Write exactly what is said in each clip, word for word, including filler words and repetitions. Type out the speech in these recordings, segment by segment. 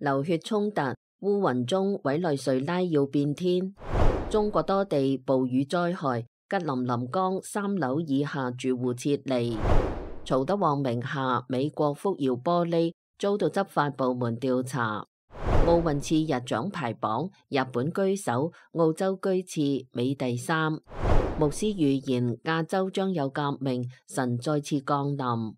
流血衝突，烏雲中委內瑞拉要變天。中國多地暴雨災害，吉林臨江三樓以下住戶撤離。曹德旺名下美國福耀玻璃遭到執法部門調查。奧運次日獎牌榜，日本居首，澳洲居次，美第三。牧師預言亞洲將有革命，神再次降臨。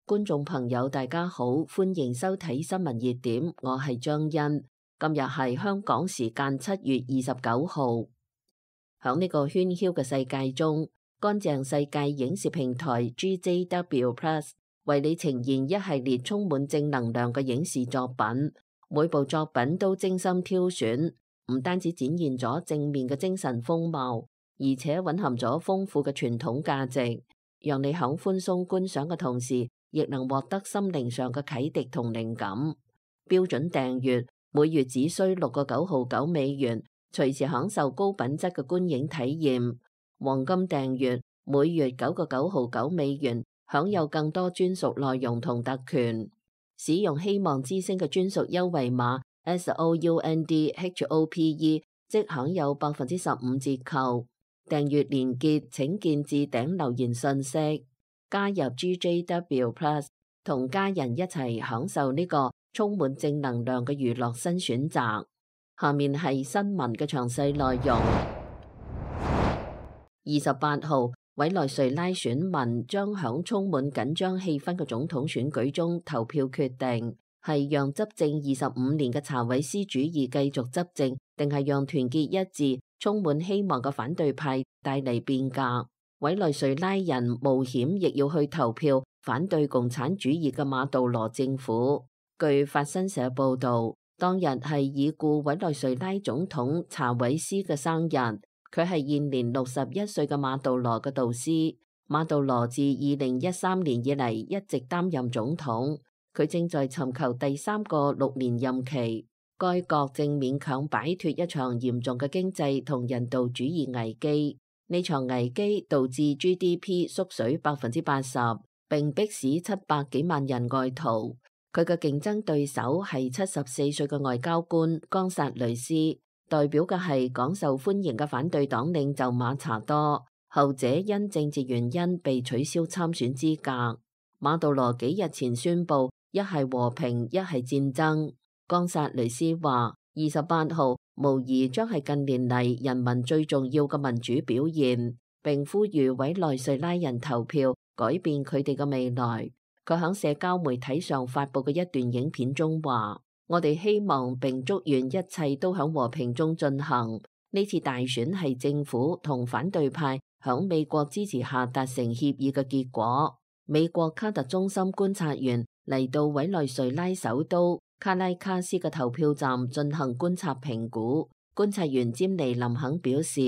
觀眾朋友大家好，歡迎收睇新聞熱點，我係張欣。今日係香港時間七月二十九號。響呢個喧囂嘅世界中，乾淨世界影視平台 G J W Plus 為你呈現一系列充滿正能量嘅影視作品。每部作品都精心挑選，唔單止展現咗正面嘅精神風貌，而且蘊含咗豐富嘅傳統價值，讓你響寬鬆觀賞嘅同時，亦能獲得心靈上嘅啟迪同靈感。標準訂閱每月只需六個九毫九美元，隨時享受高品質嘅觀影體驗。黃金訂閱每月九個九毫九美元，享有更多專屬內容同特權。使用希望之星嘅專屬優惠碼 S O U N D H O P E， 即享有百分之十五折扣。訂閱連結請見置頂留言信息。加入 G J W Plus， 同家人一齊享受呢個充滿正能量嘅娛樂新選擇。下面係新聞嘅詳細內容。二十八號，委內瑞拉選民將響充滿緊張氣氛嘅總統選舉中投票決定，係讓執政二十五年嘅查韋斯主義繼續執政，定係讓團結一致、充滿希望嘅反對派帶嚟變革。委內瑞拉人冒險亦要去投票反對共產主義嘅馬杜羅政府。據法新社報道，當日係已故委內瑞拉總統查韋斯嘅生日，佢係現年六十一歲嘅馬杜羅嘅導師。馬杜羅自二零一三年以嚟一直擔任總統，佢正在尋求第三個六年任期。該國正勉強擺脫一場嚴重嘅經濟同人道主義危機。呢場危機導致 G D P 縮水百分之八十，並迫使七百幾萬人外逃。佢嘅競爭對手係七十四歲嘅外交官岡薩雷斯，代表嘅係廣受歡迎嘅反對黨領袖馬查多，後者因政治原因被取消參選資格。馬杜羅幾日前宣布，一係和平，一係戰爭。岡薩雷斯話，二十八號無疑將係近年嚟人民最重要嘅民主表現，並呼籲委內瑞拉人投票改變佢哋嘅未來。佢喺社交媒體上發佈嘅一段影片中話：我哋希望並祝願一切都喺和平中進行。呢次大選係政府同反對派喺美國支持下達成協議嘅結果。美國卡特中心觀察員嚟到委內瑞拉首都卡拉卡斯嘅投票站進行觀察評估。觀察員詹尼林肯表示，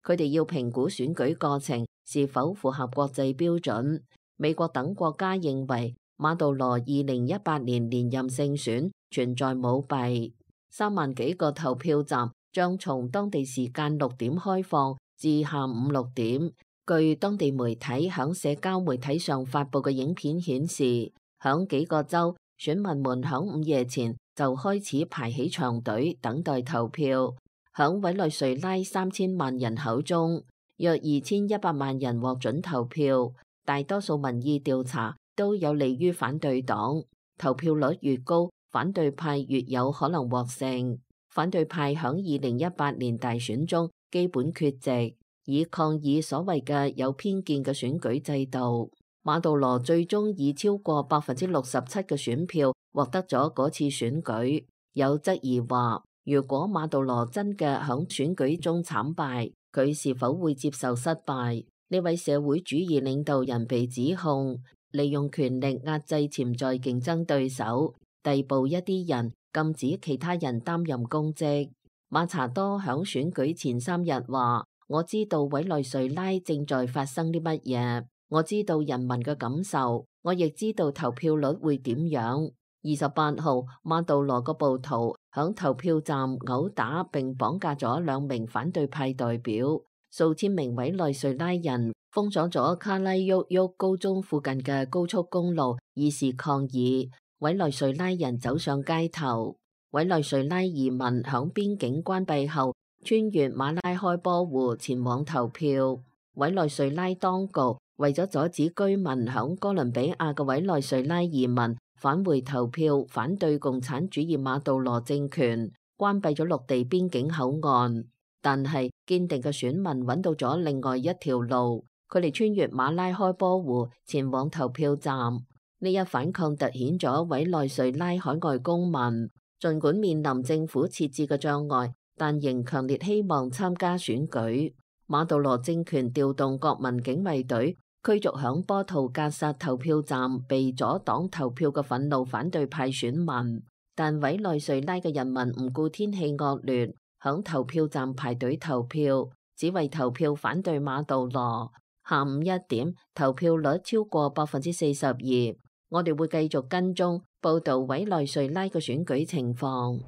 佢哋要評估選舉過程是否符合國際標準。美國等國家認為馬杜羅二零一八年連任勝選存在舞弊。三萬幾個投票站將從當地時間六點開放至下午六點。據當地媒體響社交媒體上發佈嘅影片顯示，響幾個州，選民們響午夜前就開始排起長隊等待投票。響委內瑞拉三千萬人口中，約二千一百萬人獲准投票。大多數民意調查都有利於反對黨，投票率越高，反對派越有可能獲勝。反對派響二零一八年大選中基本缺席，以抗議所謂嘅有偏見嘅選舉制度。馬杜羅最終以超過百分之六十七嘅選票獲得咗嗰次選舉。有質疑話，如果馬杜羅真嘅響選舉中慘敗，佢是否會接受失敗？呢位社會主義領導人被指控利用權力壓制潛在競爭對手，逮捕一啲人，禁止其他人擔任公職。馬查多響選舉前三日話：我知道委內瑞拉正在發生啲乜嘢，我知道人民嘅感受，我亦知道投票率會點樣。二十八號，馬杜羅個暴徒響投票站毆打並綁架咗兩名反對派代表。數千名委內瑞拉人封鎖咗卡拉沃沃高中附近嘅高速公路，以示抗議。委內瑞拉人走上街頭。委內瑞拉移民響邊境關閉後，穿越馬拉開波湖前往投票。委內瑞拉當局為咗阻止居民響哥倫比亞嘅委內瑞拉移民返回投票，反對共產主義馬杜羅政權，關閉咗陸地邊境口岸。但係堅定嘅選民揾到咗另外一條路，佢哋穿越馬拉開波湖前往投票站。呢一反抗凸顯咗委內瑞拉海外公民儘管面臨政府設置嘅障礙，但仍強烈希望參加選舉。馬杜羅政權調動國民警衛隊驅逐響波圖格薩投票站被阻擋投票嘅憤怒反對派選民，但委內瑞拉嘅人民唔顧天氣惡劣，響投票站排隊投票，只為投票反對馬杜羅。下午一點，投票率超過百分之四十二。我哋會繼續跟蹤報道委內瑞拉嘅選舉情況。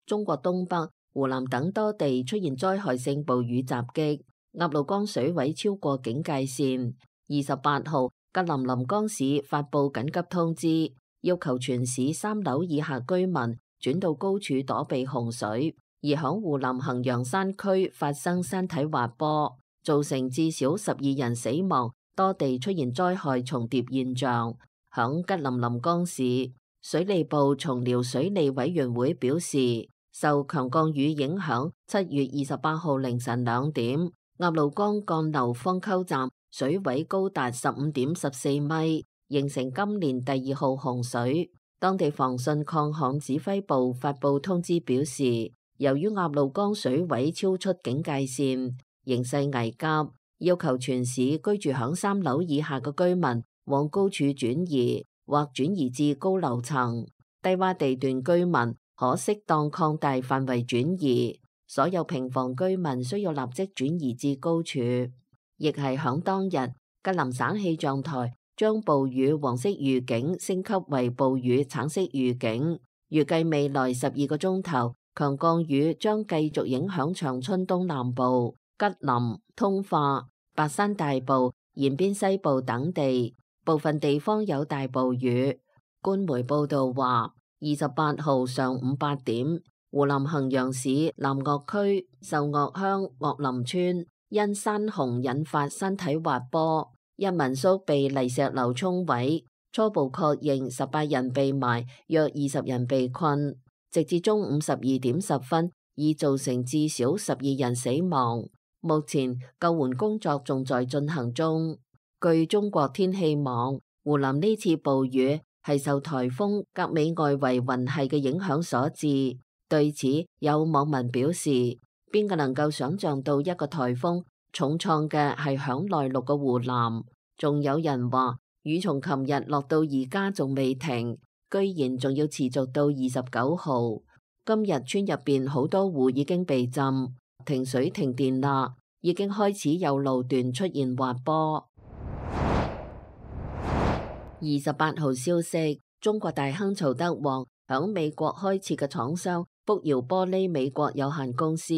中國東北、湖南等多地出現災害性暴雨襲擊，鴨綠江水位超過警戒線。二十八號，吉林臨江市發布緊急通知，要求全市三樓以下居民轉到高處躲避洪水。而響湖南衡陽山區發生山體滑坡，造成至少十二人死亡。多地出現災害重疊現象。響吉林臨江市，水利部松遼水利委員會表示，受強降雨影響，七月二十八號凌晨兩點，鴨綠江幹流方溝站水位高達十五點十四米，形成今年第二號洪水。當地防汛抗旱指揮部發布通知表示，由於鴨綠江水位超出警戒線，形勢危急，要求全市居住響三樓以下嘅居民往高處轉移或轉移至高樓層，低洼地段居民可適當擴大範圍轉移，所有平房居民需要立即轉移至高處。亦係響當日，吉林省氣象台將暴雨黃色預警升級為暴雨橙色預警，預計未來十二個鐘頭強降雨將繼續影響長春東南部、吉林、通化、白山大部、延邊西部等地，部分地方有大暴雨。官媒報道話，二十八號上午八點，湖南衡陽市南岳區壽岳鄉岳林村因山洪引發山體滑坡，一民宿被泥石流沖毀，初步確認十八人被埋，約二十人被困。直至中午十二點十分，已造成至少十二人死亡。目前救援工作仲在進行中。據中國天氣網，湖南呢次暴雨係受颱風格美外圍雲系嘅影響所致。對此，有網民表示，邊個能夠想象到一個颱風重創嘅係響內陸嘅湖南？仲有人話，雨從琴日落到而家仲未停，居然仲要持續到二十九號。今日村入邊好多戶已經被浸，停水停電啦，已經開始有路段出現滑坡。二十八號消息，中國大亨曹德旺響美國開設嘅廠商福耀玻璃美國有限公司，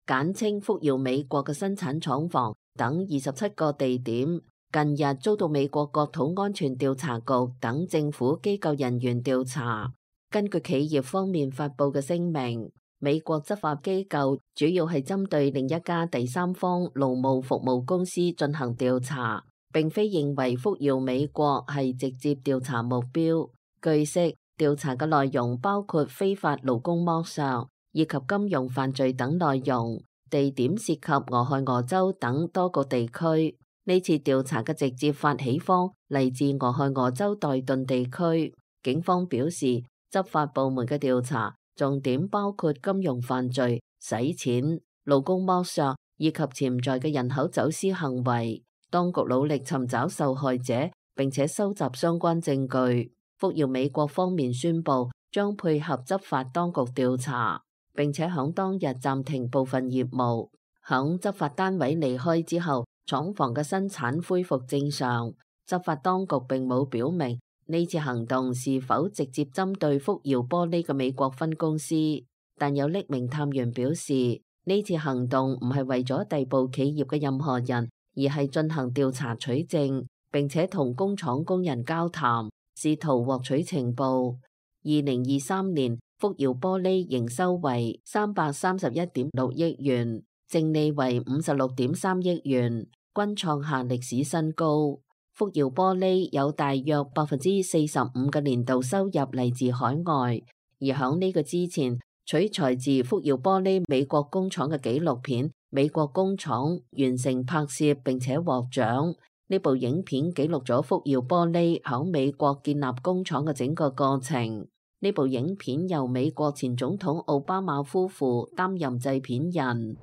簡稱福耀美國嘅生產廠房等二十七個地點，近日遭到美國國土安全調查局等政府機構人員調查。根據企業方面發佈嘅聲明，美國執法機構主要係針對另一家第三方勞務服務公司進行調查，並非認為福耀美國係直接調查目標。據悉，調查嘅內容包括非法勞工剝削以及金融犯罪等內容，地點涉及俄亥俄州等多個地區。呢次調查嘅直接發起方嚟自俄亥俄州代頓地區。警方表示，執法部門嘅調查重點包括金融犯罪、洗錢、勞工剝削以及潛在嘅人口走私行為。當局努力尋找受害者，並且收集相關證據。福耀美國方面宣布將配合執法當局調查，並且響當日暫停部分業務。響執法單位離開之後，廠房嘅生產恢復正常。執法當局並冇表明呢次行動是否直接針對福耀玻璃嘅美國分公司，但有匿名探員表示，呢次行動唔係為咗逮捕企業嘅任何人，而係進行調查取證，並且同工廠工人交談，試圖獲取情報。二零二三年，福耀玻璃營收為三百三十一點六億元，淨利為五十六點三億元，均創下歷史新高。福耀玻璃有大約百分之四十五嘅年度收入嚟自海外，而響呢個之前，取材自福耀玻璃美國工廠嘅紀錄片《美國工廠》完成拍攝並且獲獎。呢部影片記錄咗福耀玻璃響美國建立工廠嘅整個過程。呢部影片由美國前總統奧巴馬夫婦擔任製片人。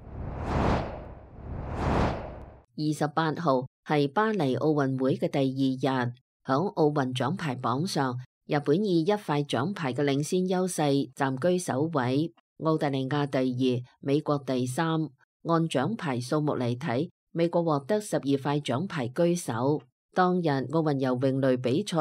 二十八號係巴黎奧運會嘅第二日，響奧運獎牌榜上，日本以一塊獎牌嘅領先優勢暫居首位，澳大利亞第二，美國第三。按獎牌數目嚟睇，美國獲得十二塊獎牌居首。當日奧運游泳類比賽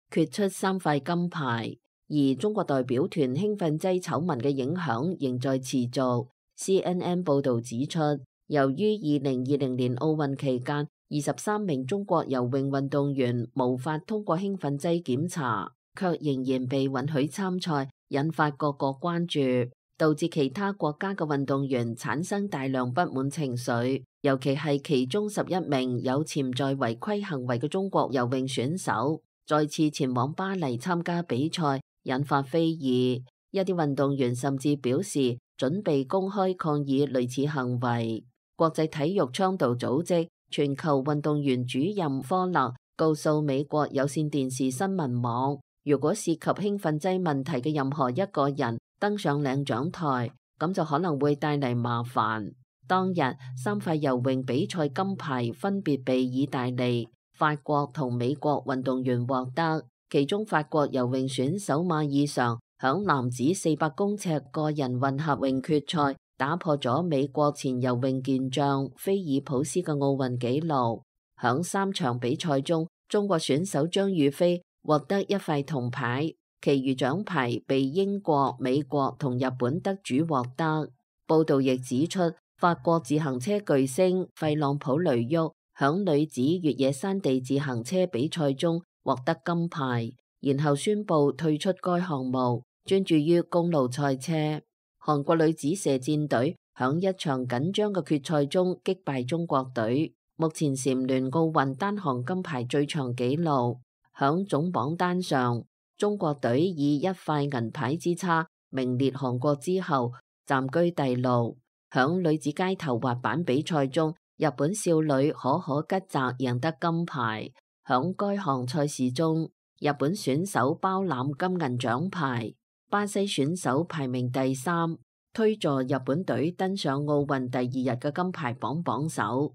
決出三塊金牌，而中國代表團興奮劑醜聞嘅影響仍在持續。C N N 報導指出，由於二零二零年奧運期間二十三名中國游泳運動員無法通過興奮劑檢查，卻仍然被允許參賽，引發各國關注，導致其他國家嘅運動員產生大量不滿情緒，尤其係其中十一名有潛在違規行為嘅中國游泳選手再次前往巴黎參加比賽，引發非議。一啲運動員甚至表示準備公開抗議類似行為。國際體育倡導組織全球運動員主任科勒告訴美國有線電視新聞網，如果涉及興奮劑問題嘅任何一個人登上領獎台，咁就可能會帶嚟麻煩。當日三塊游泳比賽金牌分別被意大利、法國同美國運動員獲得，其中法國游泳選手馬爾尚響男子四百公尺個人混合泳決賽打破咗美國前游泳健將菲爾普斯嘅奧運紀錄。響三場比賽中，中國選手張雨霏獲得一塊銅牌，其餘獎牌被英國、美國同日本得主獲得。報道亦指出，法國自行車巨星費朗普雷沃響女子越野山地自行車比賽中獲得金牌，然後宣布退出該項目，專注於公路賽車。韓國女子射箭隊響一場緊張嘅決賽中擊敗中國隊，目前蟬聯奧運單項金牌最長紀錄。響總榜單上，中國隊以一塊銀牌之差名列韓國之後，暫居第六。響女子街頭滑板比賽中，日本少女可可吉澤贏得金牌。響該項賽事中，日本選手包攬金銀獎牌。巴西選手排名第三，推助日本隊登上奧運第二日嘅金牌榜榜首。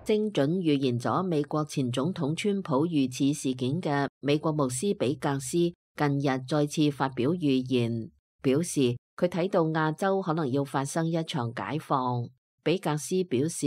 精準預言咗美國前總統川普遇刺事件嘅美國牧師比格斯近日再次發表預言，表示佢睇到亞洲可能要發生一場解放。比格斯表示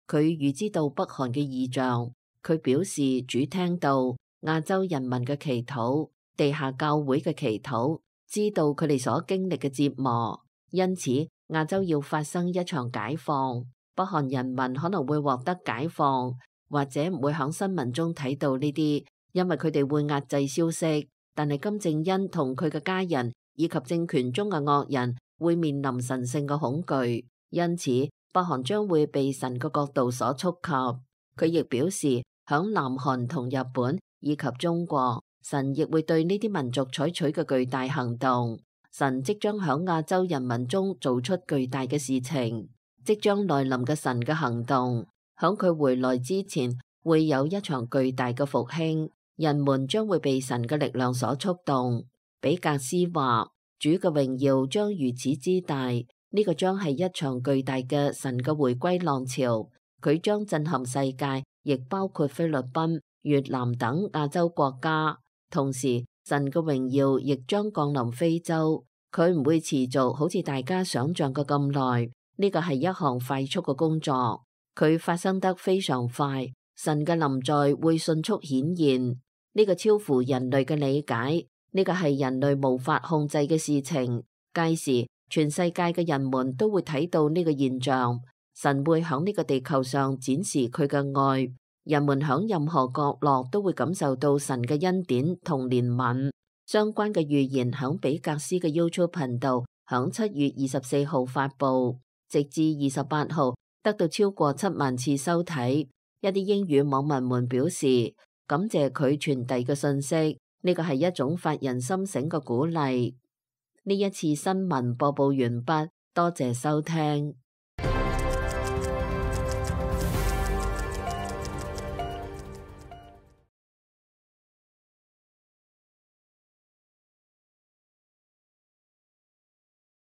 佢預知到北韓嘅異象，佢表示主聽到亞洲人民嘅祈禱、地下教會嘅祈禱，知道佢哋所經歷嘅折磨，因此亞洲要發生一場解放。北韓人民可能會獲得解放，或者唔會響新聞中睇到呢啲，因為佢哋會壓制消息。但係金正恩同佢嘅家人以及政權中嘅惡人會面臨神聖嘅恐懼，因此北韓將會被神嘅國度所觸及。佢亦表示響南韓同日本以及中國，神亦會對呢啲民族採取嘅巨大行動。神即將響亞洲人民中做出巨大嘅事情。即將來臨嘅神嘅行動，響佢回來之前會有一場巨大嘅復興，人們將會被神嘅力量所觸動。比格斯話，主嘅榮耀將如此之大，呢、這個將係一場巨大嘅神嘅回歸浪潮，佢將震撼世界，亦包括菲律賓、越南等亞洲國家。同時，神嘅榮耀亦將降臨非洲，佢唔會持續好似大家想象嘅咁耐。呢個係一項快速嘅工作，佢發生得非常快，神嘅臨在會迅速顯現，呢個超乎人類嘅理解，呢個係人類無法控制嘅事情。屆時，全世界嘅人們都會睇到呢個現象，神會響呢個地球上展示佢嘅愛，人們響任何角落都會感受到神嘅恩典同憐憫。相關嘅預言響比格斯嘅 YouTube 頻道響七月二十四號發布，直至二十八號得到超過七萬次收睇。一啲英語網民們表示感謝佢傳遞嘅信息，呢個係一種發人心醒嘅鼓勵。呢一次新聞播報完畢，多謝收聽。